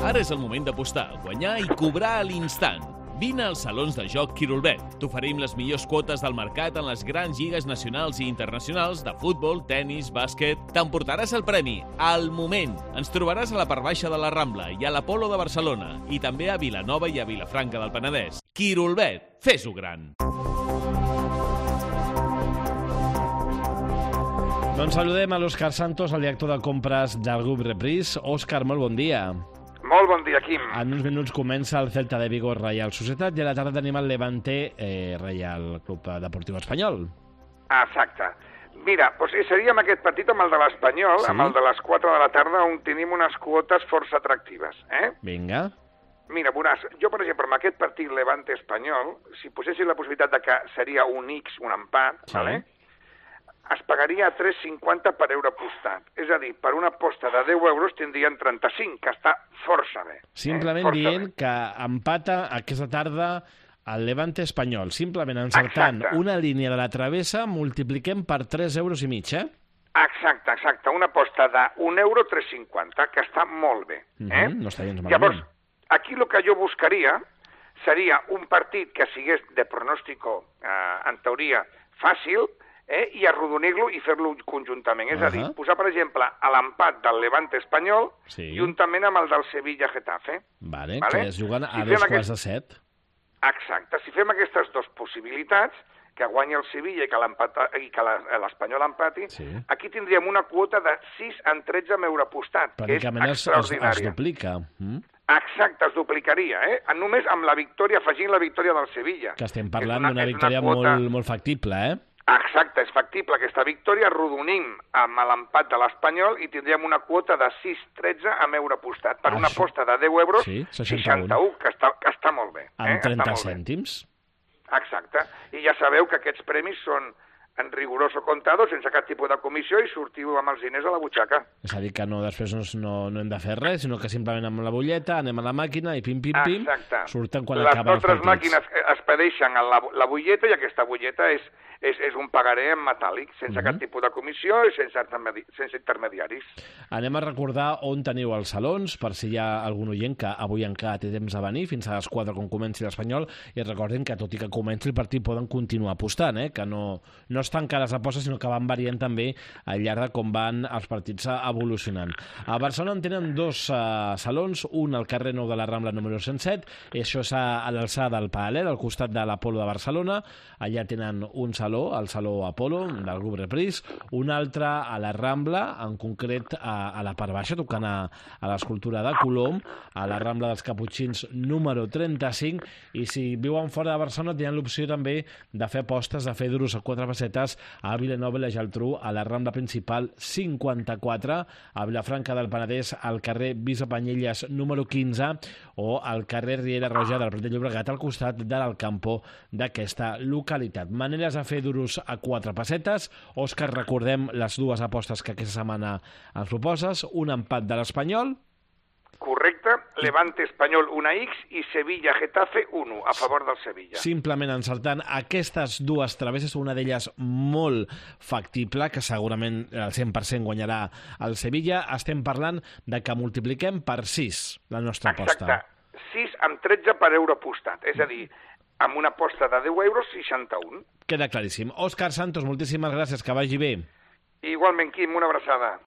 Ara és el moment d'apostar, guanyar i cobrar a l'instant. Vine als salons de joc Quirolbet. T'oferim les millors quotes del mercat en les grans lligues nacionals i internacionals de futbol, tennis, bàsquet. T'emportaràs el premi al moment. Ens trobaràs a la part baixa de la Rambla i a l'Apolo de Barcelona i també a Vilanova i a Vilafranca del Penedès. Quirolbet, fes-ho gran. Doncs saludem a l'Òscar Santos, el director de compres del grup Reprise. Òscar, molt bon dia. Molt bon dia, Quim. En uns minuts comença el Celta de Vigo Reial Societat i a la tarda tenim el Levante Reial Club Deportiu Espanyol. Exacte. Mira, doncs seríem aquest partit amb el de l'Espanyol, sí? Amb el de les 4 de la tarda, on tenim unes quotes força atractives. Vinga. Mira, veuràs, jo, per exemple, amb aquest partit Levante-Espanyol, si posessis la possibilitat de que seria un X, un empat, sí, vale? Es pagaria a 3,50 per euro apostat. És a dir, per una aposta de 10 euros tindrien 35, que està força bé. Simplement dient que empata aquesta tarda el Levante Espanyol. Simplement encertant una línia de la travessa, multipliquem per 3,5 euros, Exacte. Una aposta de 1 euro 3,50, que està molt bé. No està gens malament. Llavors, aquí el que jo buscaria seria un partit que sigués de pronòstico, en teoria, fàcil, i arrodonir-lo i fer-lo conjuntament. És a dir, posar, per exemple, l'empat del Levante Espanyol juntament amb el del Sevilla-Getafe. Vale, que es juguen a 6:45. Exacte. Si fem aquestes dues possibilitats, que guanyi el Sevilla i que l'Espanyol empati, aquí tindríem una quota de 6-13 amb euro apostat, que és extraordinària. Es duplica. Exacte, es duplicaria, només amb la victòria, afegint la victòria del Sevilla. Que estem parlant d'una victòria molt factible, Exacte, és factible aquesta victòria, arrodonim amb l'empat de l'Espanyol i tindríem una quota de 6,13 amb euro apostat. Per una aposta de 10 euros, 61, que està molt bé. Amb 30 cèntims. Exacte. I ja sabeu que aquests premis són en rigoroso contado, sense cap tipus de comissió, i sortiu amb els diners a la butxaca. És a dir, que després no hem de fer res, sinó que simplement amb la butlleta anem a la màquina i pim, surten quan acaben els partits. Les nostres màquines expedeixen la butlleta i aquesta butlleta és un pagaré en metàl·lic, sense cap tipus de comissió i sense intermediaris. Anem a recordar on teniu els salons, per si hi ha algun oient que avui encara té temps de venir, fins a les 4 quan comenci l'Espanyol, i recordin que tot i que comenci el partit poden continuar apostant, que no estan cares apostes, sinó que van variant també al llarg de com van els partits evolucionant. A Barcelona en tenen dos salons, un al carrer Nou de la Rambla número 107, això és a l'alçada del Paral·lel, al costat de l'Apolo de Barcelona. Allà tenen un saló, el Saló Apolo, del grup Reprise, un altre a la Rambla, en concret a la part baixa, tocant a l'escultura de Colom, a la Rambla dels Caputxins número 35, i si viuen fora de Barcelona tenen l'opció també de fer apostes, de fer duros a 4 pessetes a Vilanova i la Geltrú, a la Rambla principal 54, a Vilafranca del Penedès, al carrer Vicepanyelles número 15, o al carrer Riera Roja del Prat de Llobregat, al costat de l'Alcampo d'aquesta localitat. Maneres de fer duros a 4 pessetes. Òscar, recordem les dues apostes que aquesta setmana ens proposes. Un empat de l'Espanyol. Correcte. Levante Espanyol 1x i Sevilla-Getafe 1 a favor del Sevilla. Simplement encertant aquestes dues travesses, una d'elles molt factible, que segurament al 100% guanyarà el Sevilla. Estem parlant de que multipliquem per 6 la nostra aposta. Exacte. 6 amb 13 per euro apostat. És a dir, amb una aposta de 10 euros, 61. Queda claríssim. Òscar Santos, moltíssimes gràcies, que vagi bé. Igualment, Quim, una abraçada.